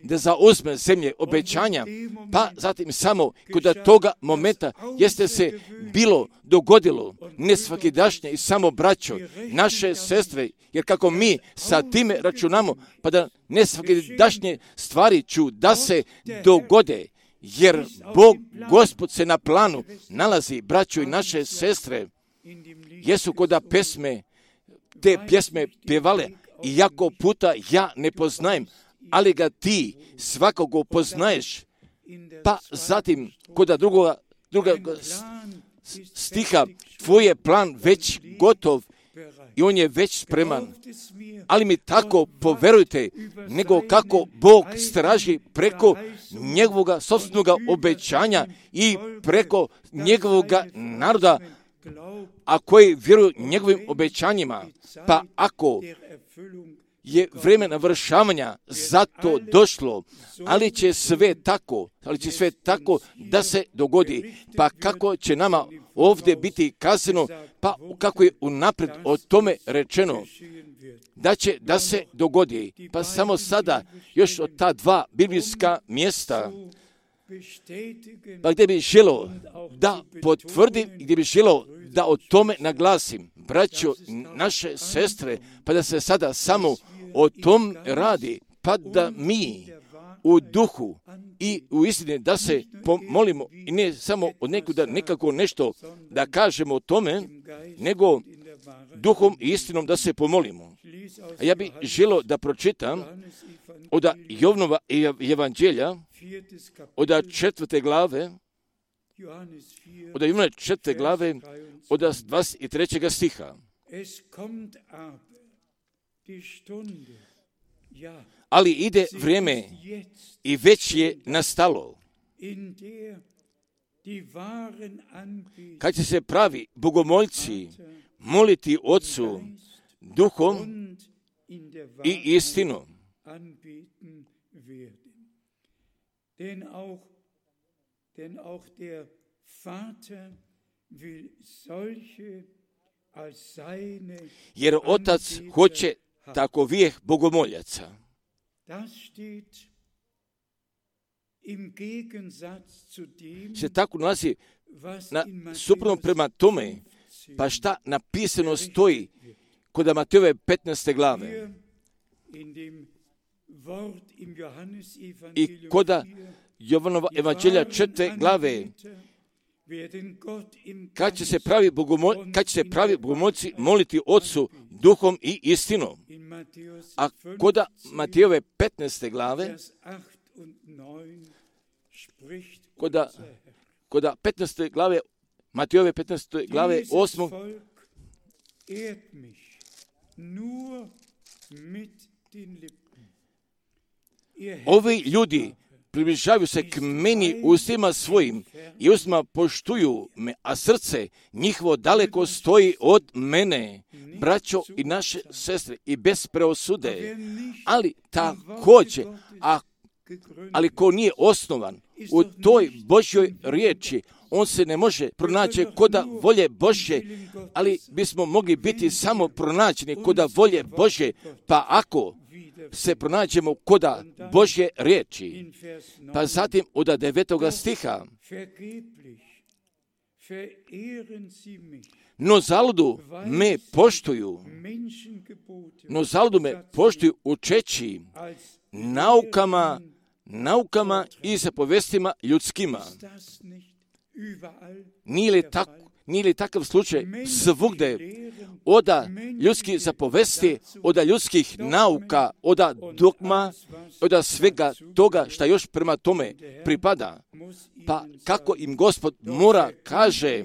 da zauzme zemlje obećanja, pa zatim samo kod toga momenta jeste se bilo dogodilo nesvakidašnje i samo braćo, naše sestre, jer kako mi sa time računamo, pa da nesvakidašnje stvari ću da se dogode, jer Bog, Gospod se na planu nalazi, braćo i naše sestre, jesu koda pesme, te pjesme pjevale, i jako puta ja ne poznajem, ali ga ti svakoga poznaješ, pa zatim kod drugoga, drugoga stiha tvoj je plan već gotov i on je već spreman, ali mi tako poverujte, nego kako Bog straži preko njegovoga sopstvenoga obećanja i preko njegovoga naroda, a koji vjeruju njegovim obećanjima, pa ako je vrijeme navršavanja zato došlo, ali će sve tako, ali će sve tako da se dogodi, pa kako će nama ovdje biti kazano, pa kako je unaprijed o tome rečeno, da će da se dogodi. Pa samo sada još od ta dva biblijska mjesta, pa gdje bi želio da potvrdim, gdje bi želio da o tome naglasim, braćo, naše sestre, pa da se sada samo o tom radi, pa da mi u duhu i u istini da se pomolimo i ne samo od nekuda nekako nešto da kažemo o tome, nego duhom i istinom da se pomolimo. A ja bih želio da pročitam od Jovnova evanđelja, od četvrte glave, od Jovnova četvrte glave, od dvadeset trećeg stiha. Ali ide vrijeme i već je nastalo, kad će se pravi bogomoljci moliti Otcu duhom i istinom. Jer Otac hoće takovih bogomoljaca. Se tako nalazi na suprotno prema tome, pa šta napisano stoji kod Matejove petnaeste glave i kod Jovanova evanđelja četvrte glave, kad će se pravi bogomol, kad će se pravi bogomoljci moliti Otcu duhom i istinom. A kod Matejove petnaeste glave, kod, kod petnaeste glave, Matejove petnaeste glave, osmog, ovi ljudi približavaju se k meni ustima svojim i ustima poštuju me, a srce njihovo daleko stoji od mene, braćo i naše sestre, i bez preosude. Ali također, a, ali ko nije osnovan u toj Božjoj riječi, on se ne može pronaći koda volje Božje, ali bismo mogli biti samo pronađeni koda volje Božje, pa ako se pronađemo koda Božje riječi. Pa zatim od devetoga stiha, no zaludu me poštuju, no zaludu me poštuju učeći naukama, naukama i zapovestima ljudskima. Nije li, tak, nije li takav slučaj svugde oda ljudskih zapovesti, oda ljudskih nauka, oda dogma, oda svega toga šta još prema tome pripada? Pa kako im Gospod mora kaže,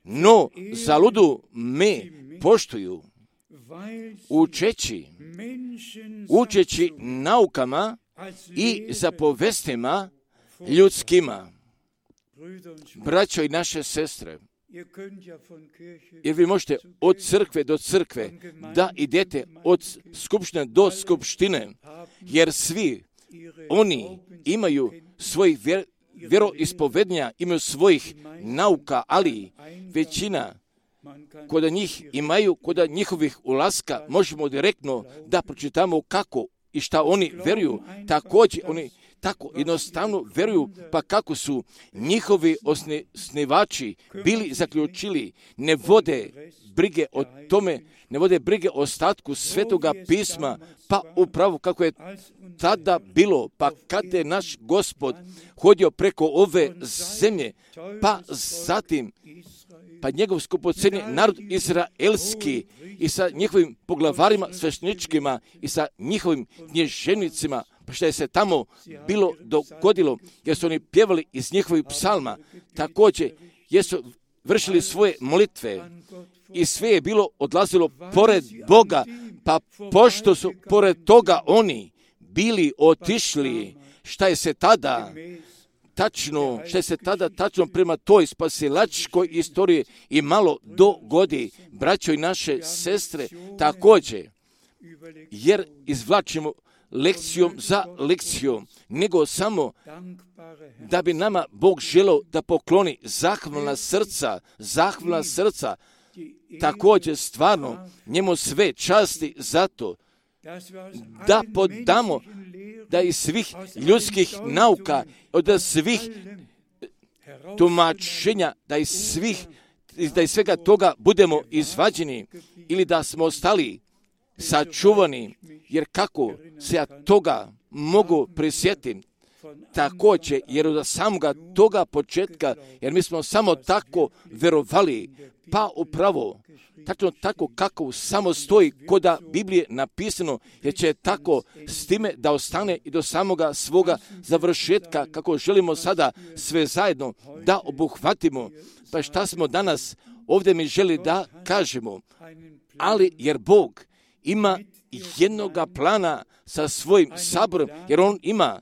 no zaludu me poštuju, učeći, učeći naukama i zapovestima ljudskima. Braćo i naše sestre, jer vi možete od crkve do crkve da idete od skupštine do skupštine, jer svi oni imaju svojih vjer, vjeroispovednja, imaju svojih nauka, ali većina kod njih imaju, kod njihovih ulaska možemo direktno da pročitamo kako i šta oni vjeruju. Također oni tako jednostavno vjeruju, pa kako su njihovi osnivači bili zaključili, ne vode brige o tome, ne vode brige o ostatku Svetoga pisma, pa upravo kako je tada bilo, pa kad je naš Gospod hodio preko ove zemlje, pa zatim pa njegov skupocjeni narod izraelski i sa njihovim poglavarima svešteničkima i sa njihovim knježevnicima, pa što je se tamo bilo dogodilo, jer su oni pjevali iz njihovih psalma, također jesu vršili svoje molitve i sve je bilo odlazilo pored Boga, pa pošto su pored toga oni bili otišli, šta je se tada tačno, što je se tada tačno prema toj spasilačkoj istoriji i malo dogodi, braćo i naše sestre, također, jer izvlačimo lekcijom za lekcijom, nego samo da bi nama Bog želeo da pokloni zahvalna srca, zahvalna srca također stvarno njemu sve časti zato da podamo da iz svih ljudskih nauka, od svih tumačenja, da iz svih, da iz svega toga budemo izvađeni ili da smo ostali sačuvani, jer kako se ja toga mogu prisjetiti, također, jer od samoga toga početka, jer mi smo samo tako verovali, pa upravo, tačno tako kako samo stoji koda Biblije napisano, jer će tako s time da ostane i do samoga svoga završetka, kako želimo sada sve zajedno da obuhvatimo. Pa šta smo danas ovdje mi želi da kažemo, ali jer Bog ima jednoga plana sa svojim saborom, jer On ima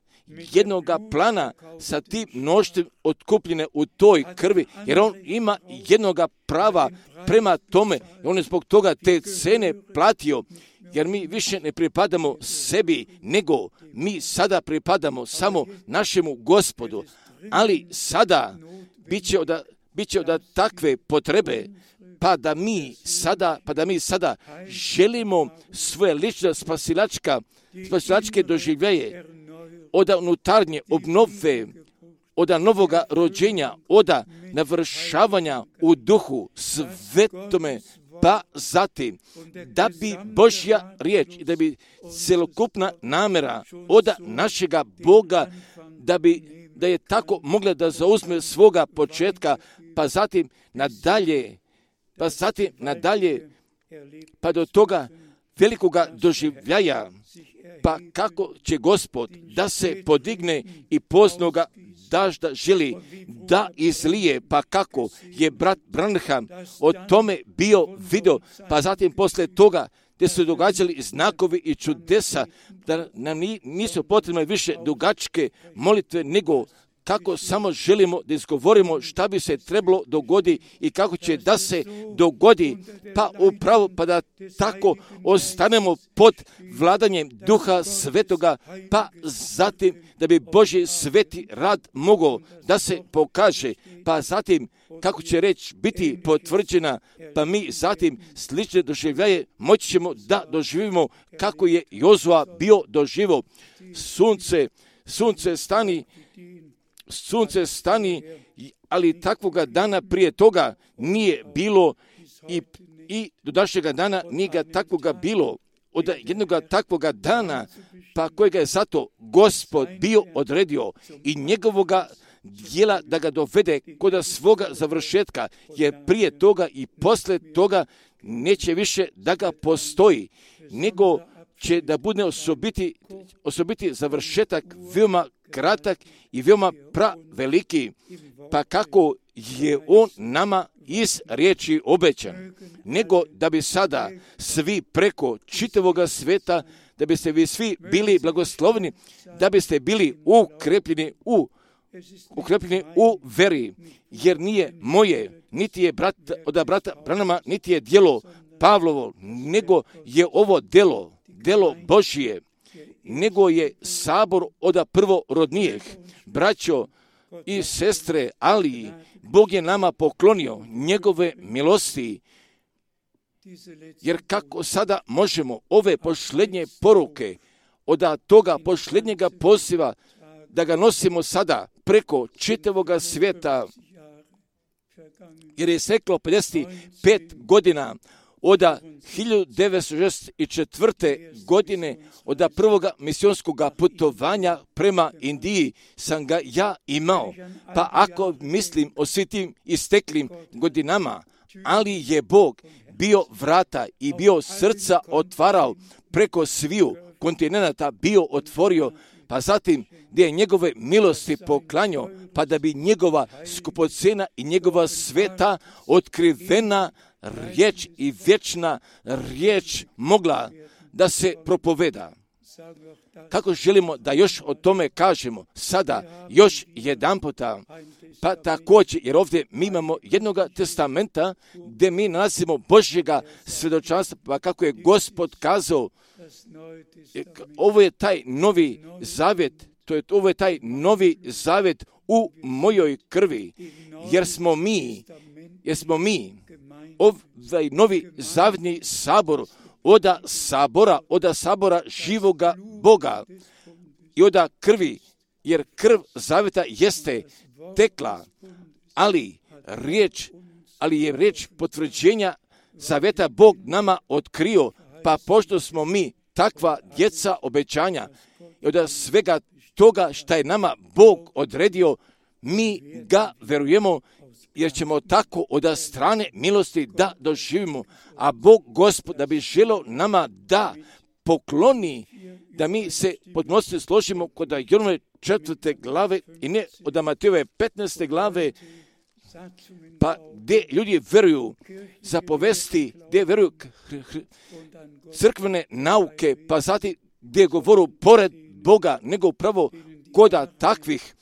jednoga plana sa tim mnoštvom otkupljene u toj krvi, jer On ima jednoga prava prema tome, i On je zbog toga te cene platio, jer mi više ne pripadamo sebi, nego mi sada pripadamo samo našemu Gospodu, ali sada bit će od, bit će od takve potrebe, pa da mi sada, pa da mi sada želimo svoje lične spasilačka, spasilačke doživljaje, od unutarnje obnove, od novoga rođenja, od navršavanja u duhu svetome, pa zatim da bi Božja riječ i da bi celokupna namjera od našega Boga, da bi da je tako mogla da zauzme svoga početka, pa zatim nadalje, pa zatim nadalje, pa do toga velikoga doživljaja, pa kako će Gospod da se podigne i poznoga dažda želi da izlije, pa kako je brat Branham o tome bio video, pa zatim posle toga gdje su događali znakovi i čudesa, da nam nisu potrebne više dugačke molitve, nego kako samo želimo da izgovorimo šta bi se trebalo dogodi i kako će da se dogodi, pa upravo pa da tako ostanemo pod vladanjem Duha Svetoga, pa zatim da bi Božji sveti rad mogao da se pokaže, pa zatim kako će reč biti potvrđena, pa mi zatim slične doživljaje moći ćemo da doživimo kako je Jozua bio doživo. Sunce, sunce stani, sunce stani, ali takvoga dana prije toga nije bilo i, i do današnjega dana nije ga takvoga bilo. Od jednoga takvoga dana, pa kojega je zato Gospod bio odredio i njegovoga dijela da ga dovede kod svoga završetka, jer prije toga i posle toga neće više da ga postoji, nego će da bude osobiti, osobiti završetak veoma kratak i veoma praveliki, pa kako je on nama iz riječi obećan, nego da bi sada svi preko čitavoga sveta, da biste vi svi bili blagosloveni, da biste bili ukrepljeni u ukrepljeni u veri, jer nije moje, niti je brat, od brata Branhama, niti je djelo Pavlovo, nego je ovo djelo, djelo Božije, nego je sabor od prvorodnijih. Braćo i sestre, ali Bog je nama poklonio njegove milosti, jer kako sada možemo ove posljednje poruke od toga posljednjega poziva da ga nosimo sada preko čitavoga svijeta, jer je seklo pedeset pet godina od hiljadu devetsto šezdeset četvrte. godine, od prvoga misionskog putovanja prema Indiji sam ga ja imao. Pa ako mislim o svim tim isteklim godinama, ali je Bog bio vrata i bio srca otvarao preko sviju kontinenata, bio otvorio, pa zatim gdje je njegove milosti poklanjao, pa da bi njegova skupocena i njegova sveta otkrivena riječ i vječna riječ mogla da se propoveda. Kako želimo da još o tome kažemo sada, još jedan puta, pa također, jer ovdje mi imamo jednoga testamenta gdje mi nalazimo Božjega svjedočanstva, pa kako je Gospod kazao, ovo je taj novi zavjet, to je, ovo je taj novi zavjet u mojoj krvi, jer smo mi, jer smo mi ovaj novi zavjetni sabor, oda sabora, oda sabora živoga Boga i oda krvi, jer krv zavjeta jeste tekla, ali riječ, ali je riječ potvrđenja zavjeta Bog nama otkrio, pa pošto smo mi takva djeca obećanja i od svega toga što je nama Bog odredio, mi ga verujemo, jer ćemo tako od strane milosti da doživimo, a Bog Gospod da bi želio nama da pokloni, da mi se podnosite složimo kod Jonove četvrte glave i ne od Matejove petnaeste glave, pa gdje ljudi veruju za povesti, gdje veruju crkvene nauke, pa zatim gdje govoru pored Boga, nego upravo koda takvih,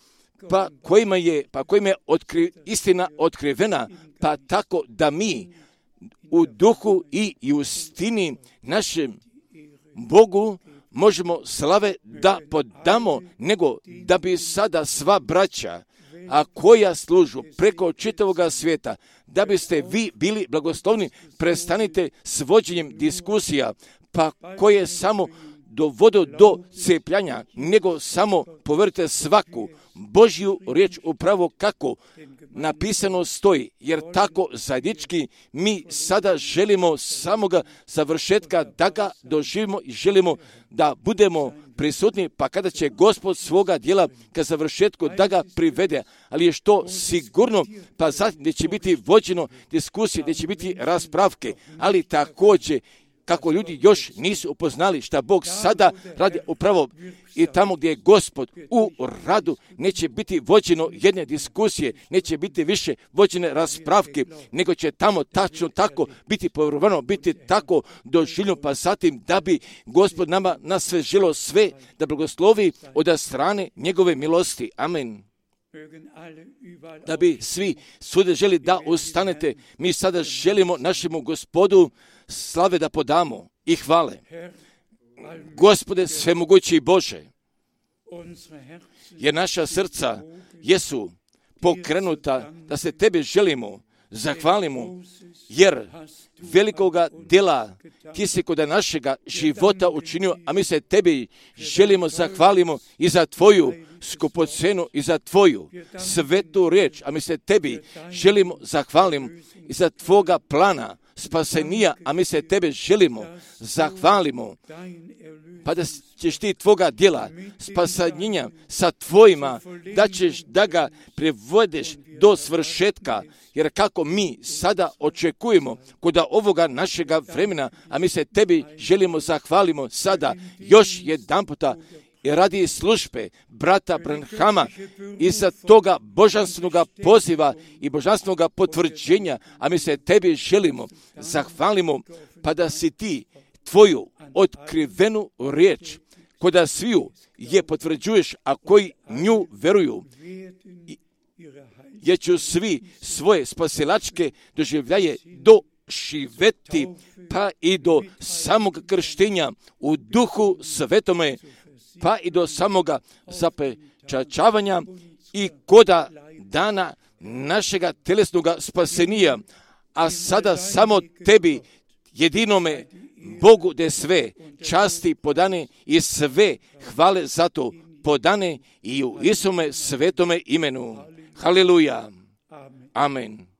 pa kojima je, pa kojima je otkri, istina otkrivena, pa tako da mi u duhu i, i u istini našem Bogu možemo slave da podamo, nego da bi sada sva braća, a koja služu preko čitavoga svijeta, da biste vi bili blagoslovni, prestanite s vođenjem diskusija, pa koje samo dovode do cepljanja, nego samo poverite svaku Božju riječ upravo kako napisano stoji, jer tako zajednički mi sada želimo samoga završetka da ga doživimo i želimo da budemo prisutni, pa kada će Gospod svoga djela ka završetku da ga privede, ali je što sigurno, pa zatim gdje će biti vođeno diskusije, gdje će biti raspravke, ali također kako ljudi još nisu upoznali šta Bog sada radi upravo i tamo gdje je Gospod u radu, neće biti vođeno jedne diskusije, neće biti više vođene raspravke, nego će tamo tačno tako biti povjerovano, biti tako doživljeno, pa zatim da bi Gospod nama na sve želo sve da blagoslovi od strane njegove milosti. Amen. Da bi svi svuda želi da ustanete, mi sada želimo našemu Gospodu slave da podamo i hvale. Gospode svemogući Bože, jer naša srca jesu pokrenuta da se Tebe želimo, zahvalimo, jer velikoga djela Ti si kod našega života učinio, a mi se Tebi želimo, zahvalimo i za Tvoju skupocenu i za Tvoju svetu riječ, a mi se Tebi želimo, zahvalimo i za Tvoga plana spasenija, a mi se Tebe želimo, zahvalimo, pa da ćeš Ti Tvoga djela spasenja sa Tvojima, da ćeš da ga privedeš do svršetka, jer kako mi sada očekujemo kod ovoga našega vremena, a mi se Tebi želimo, zahvalimo sada još jedan puta i radi službe brata Branhama i za toga božanstvenog poziva i božanstvenog potvrđenja, a mi se Tebi želimo, zahvalimo, pa da si Ti Tvoju otkrivenu riječ, koda sviju je potvrđuješ, a koji nju veruju, jer ću svi svoje spasilačke doživljaje doživjeti, pa i do samog krštenja u duhu svetome, pa i do samoga zapečačavanja i koda dana našega telesnog spasenija, a sada samo Tebi, jedinome Bogu, de sve časti podane i sve hvale za to podane i u Isume svetome imenu. Haleluja. Amen.